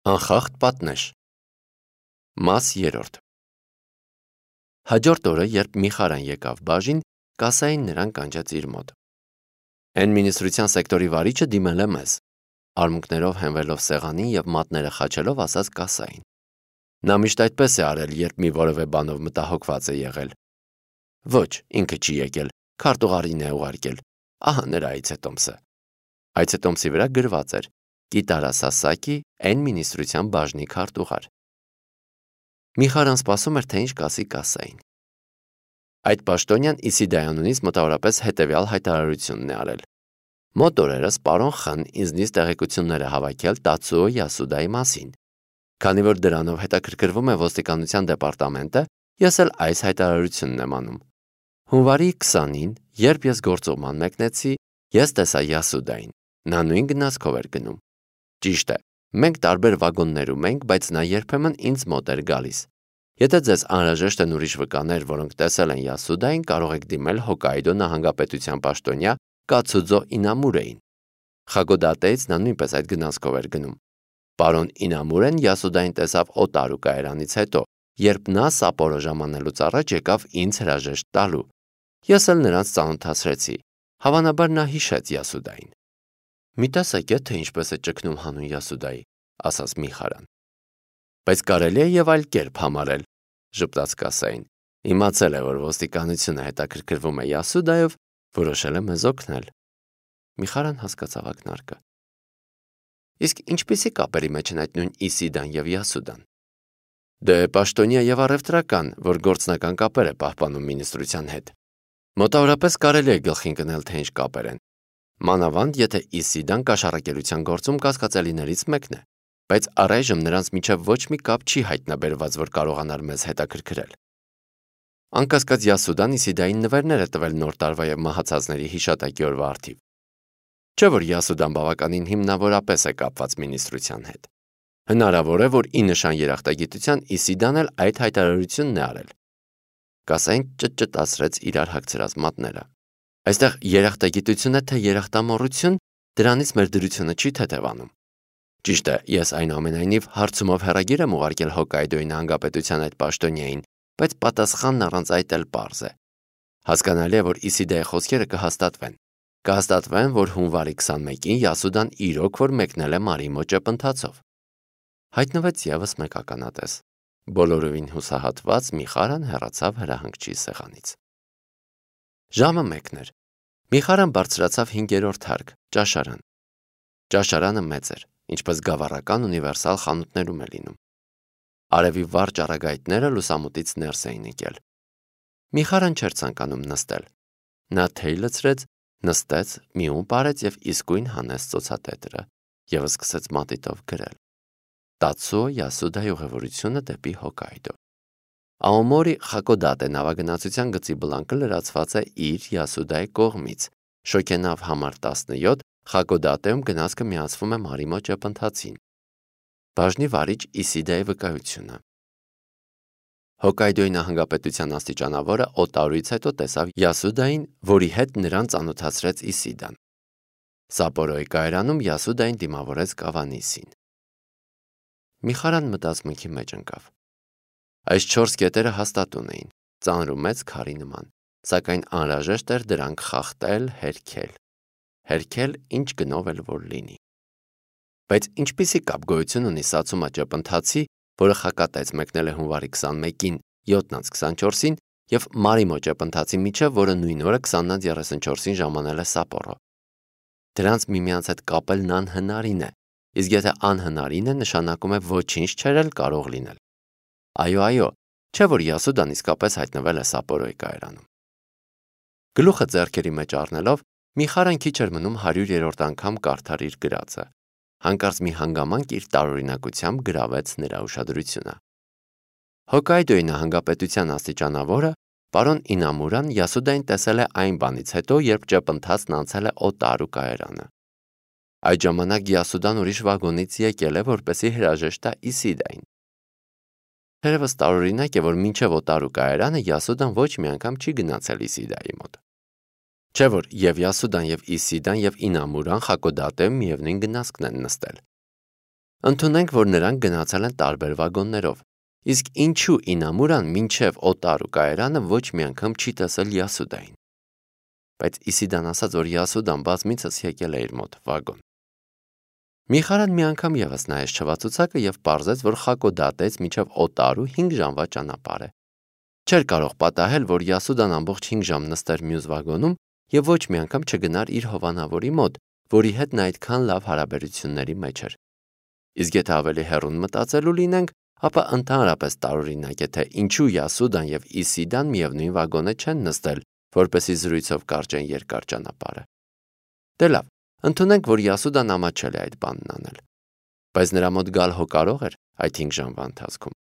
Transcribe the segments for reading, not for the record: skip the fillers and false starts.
Անխախտ պատնեշ։ Մաս 3 Հաջորդ օրը, երբ Միխարան եկավ բաժին, կասային նրան կանչեց իր մոտ։ Էն մինիստրության սեկտորի վարիչը դիմել է մեզ, արմունկներով հենվելով սեղանին և մատները խաչելով ասաց կասային։ Նա միշտ այդպես է արել, երբ մի որևէ բանով մտահոգված է եղել։ Ոչ, ինքը չի եկել, քարտուղարին է ուղարկել, ահա նրա այցետոմսը։ Այցետոմսի վրա գրված էր Կիտարա Սասակի Էն մինիստրության բաժնի քարտուղար։ Միխարան սպասում էր, թե ինչ կասի կասային։ Այդ պաշտոնյան Իսիդայանունից մոտավորապես հետևյալ հայտարարությունն է արել. Մոտ օրերս պարոն Խ-ն ինձնից տեղեկություններ է հավաքել Տացուո Յասուդայի մասին։ Քանի որ դրանով հետաքրքրվում է ոստիկանության դեպարտամենտը, ես էլ այս հայտարարությունն եմ անում։ Հունվարի 20-ին, երբ ես գործուղման մեկնեցի, ես տեսա Յասուդային։ Նա նույն գնացքով էր գնում։ Ճիշտ է, մենք տարբեր վագոններում ենք, բայց նա երբեմն ինձ մոտ էր գալիս։ Եթե ձեզ անհրաժեշտ են ուրիշ վկաներ, որոնք տեսել են Յասուդային, կարող եք դիմել Հոկայիդո նահանգապետության պաշտոնյա Կացուձո Ինամուրեին։ Խագոդատեից նա նույնպես այդ գնացքով էր գնում։ Պարոն Ինամուրեն Յասուդային տեսավ Օտարու կայարանից հետո, երբ նա Սապորո ժամանելուց առաջ եկավ ինձ հրաժեշտ տալու։ Ես էլ նրանց ծանոթացրեցի։ Հավանաբար նա հիշեց Յասուդային։ Մի տեսեք, թե ինչպես է ճգնում հանուն Յասուդայի, ասաց Միխարան։ Բայց կարելի է եւ այլ կերպ համարել, ժպտաց կասային։ Իմացել է, որ ոստիկանությունը հետաքրքրվում է Յասուդայով, որոշել է մեզ օգնել։ Միխարան հասկացավ ակնարկը։ Իսկ ինչպիսի կապերի մեջ են այդ նույն Իսիդան եւ Յասուդան։ Դե պաշտոնյա եւ առևտրական, որ գործնական կապեր է պահպանում մինիստրության հետ։ Մոտավորապես կարելի է գլխին կնել, թե ինչ կապեր են։ Մանավանդ, եթե Իսիդան կաշառակերության գործում կասկածելիներից մեկն է, բայց առայժմ նրանց միջև ոչ մի կապ չի հայտնաբերված, որ կարողանար մեզ հետաքրքրել։ Անկասկած Յասուդան Իսիդային նվերներ է տվել նոր տարվա եւ մահացածների հիշատակի օրվա առթիվ։ Չէ՞ որ Յասուդան բավականին հիմնավորապես է կապված մինիստրության հետ։ Հնարավոր է, որ ի նշան երախտագիտության Իսիդան էլ այդ հայտարարությունն է արել։ Կասային ճտճտացրեց իրար հագցրած մատները։ Այստեղ երախտագիտություն է թե երախտամոռություն, դրանից մեր դրությունը չի թեթևանում։ Ճիշտ է, ես այնուամենայնիվ հարցումով հեռագիր եմ ուղարկել Հոկայդոյի նահանգապետության այդ պաշտոնյային, բայց պատասխանն առանց այդ էլ պարզ է։ Հասկանալի է, որ Իսիդայի խոսքերը կհաստատվեն։ Կհաստատվեն, որ հունվարի 21-ին Յասուդան իրոք որ մեկնել է Մարիմո ճեպընթացով։ Հայտնվեց եւս մեկ ականատես։ Բոլորովին հուսահատված Միխարան հեռացավ հրահանգչի սեղանից։ Ժամը 1 էր։ Միխարան բարձրացավ 5-րդ հարկ, ճաշարան։ Ճաշարանը մեծ էր, ինչպես գավառական ունիվերսալ խանութներում է լինում։ Արևի վառ ճառագայթները լուսամուտից ներս էին եկել։ Միխարան չէր ցանկանում նստել։ Նա թեյ լցրեց, նստեց, մի ում պարեց եւ իսկույն հանեց ծոցատետրը եւ սկսեց մատիտով գրել։ Տացուո Յասուդայի ուղևորությունը դեպի Հոկայդո։ Աոմորի Խակոդատե նավագնացության գծի բլանկը լրացված է իր Յասուդայի կողմից։ Շոքենավ համար 17 Խակոդատեում գնացքը միացվում է Մարիմո ճեպընթացին։ Բաժնի վարիչ Իսիդայի վկայությունը։ Հոկայդոյի նահանգապետության աստիճանավորը Օտարուից հետո տեսավ Յասուդային, որի հետ նրան ծանոթացրեց Իսիդան։ Սապորոյի կայարանում Յասուդային դիմավորեց Կավանիսին։ Միխարան մտածմունքի մեջ ընկավ։ Այս 4 կետերը հաստատուն էին, ծանր ու մեծ քարի նման, սակայն անհրաժեշտ էր դրանք խախտել, հերքել ինչ գնով էլ որ լինի։ Բայց ինչպիսի կապ գոյություն ունի Սացումա ճեպընթացի, որը Խակատայից մեկնել է հունվարի 21-ին 7-24-ին եւ Մարիմո ճեպընթացի միջև, որը նույն օրը 20-34-ին ժամանել է Սապորո։ Դրանց միմյանց հետ կապելն անհնարին է, իսկ եթե անհնարին է, նշանակում է ոչինչ չէր էլ կարող լինել։ Այո, չէ՞ որ Յասուդան իսկապես հայտնվել է Սապորոյի կայարանում։ Գլուխը ձեռքերի մեջ առնելով Միխարան քիչ էր մնում 100-րդ անգամ կարդար իր գրածը։ Հանկարծ մի հանգամանք իր տարօրինակությամբ գրավեց նրա ուշադրությունը։ Հոկայդոյի նահանգապետության աստիճանավորը պարոն Ինամուրան Յասուդային տեսել է այն բանից հետո, երբ ճեպընթացն անցել է Օտարու կայարանը։ Այդ ժամանակ Յասուդան ուրիշ վագոնից եկել է, որպեսզի հրաժեշտ տա Իսիդային։ Թերևս տարօրինակ է, որ մինչև Օտարու կայարանը Յասուդան ոչ մի անգամ չի գնացել Իսիդայի մոտ։ Չէ՞ որ եւ Յասուդան եւ Իսիդան եւ Ինամուրան Խակոդատեում միևնույն գնացքն են նստել։ Ընդունենք, որ նրանք գնացել են տարբեր վագոններով, իսկ ինչու Ինամուրան մինչև Օտարու կայարանը ոչ մի անգամ չի տեսել Յասուդային։ Բայց Իսիդան ասաց, որ Յասուդան բազմիցս եկել է իր մոտ վագոն։ Միխարան մի անգամ ևս նայեց չվացուցակը եւ պարզեց, որ Խակոդատից մինչև Օտարու 5 ժամվա ճանապարհ է։ Չէր կարող պատահել, որ Յասուդան ամբողջ 5 ժամ նստեր մյուս վագոնում եւ ոչ մի անգամ չգնար իր հովանավորի մոտ, որի հետ նա այդքան լավ հարաբերությունների մեջ էր։ Իսկ եթե ավելի հեռուն մտածելու լինենք, ապա ընդհանրապես տարօրինակ է, թե ինչու Յասուդան եւ Իսիդան միևնույն վագոնը չեն նստել, որպեսզի զրույցով կարճեն երկար ճանապարհը։ Դե լավ, ընդունենք, որ Յասուդան ամաչել է այդ բանն անել, բայց նրա մոտ գալ հո կարող էր այդ 5 ժամվա ընթացքում։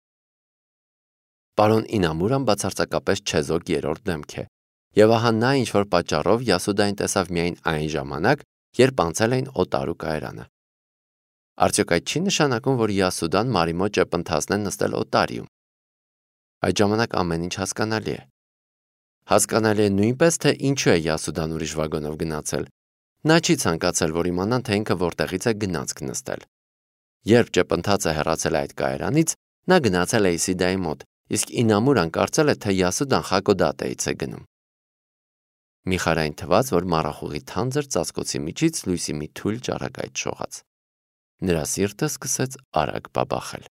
Պարոն Ինամուրան բացարձակապես չեզոք երրորդ դեմք է, եւ ահա նա ինչ-որ պատճառով Յասուդային տեսավ միայն այն ժամանակ, երբ անցել էին Օտարու կայարանը։ Արդյոք այդ չի նշանակում, որ Յասուդան Մարի մոտ ճեպընթացն է նստել Օտարիում։ Այդ ժամանակ ամեն ինչ հասկանալի է։ Հասկանալի է նույնպես, թե ինչու է Յասուդան ուրիշ վագոնով գնացել։ Նա չի ցանկացել, որ իմանան, թե ինքը որտեղից է գնացք նստել։ Երբ ճեպընթացը հեռացել է այդ կայարանից, նա գնացել է Իսիդայի մոտ, իսկ Ինամուրան կարծել է, թե Յասուդան Խակոդատեից է գնում։ Միխարային թվաց, որ մառախուղի թանձր ծածկոցի միջից լույսի մի թույլ ճառագայթ շողաց։ Նրա սիրտը սկսեց արագ բաբախել։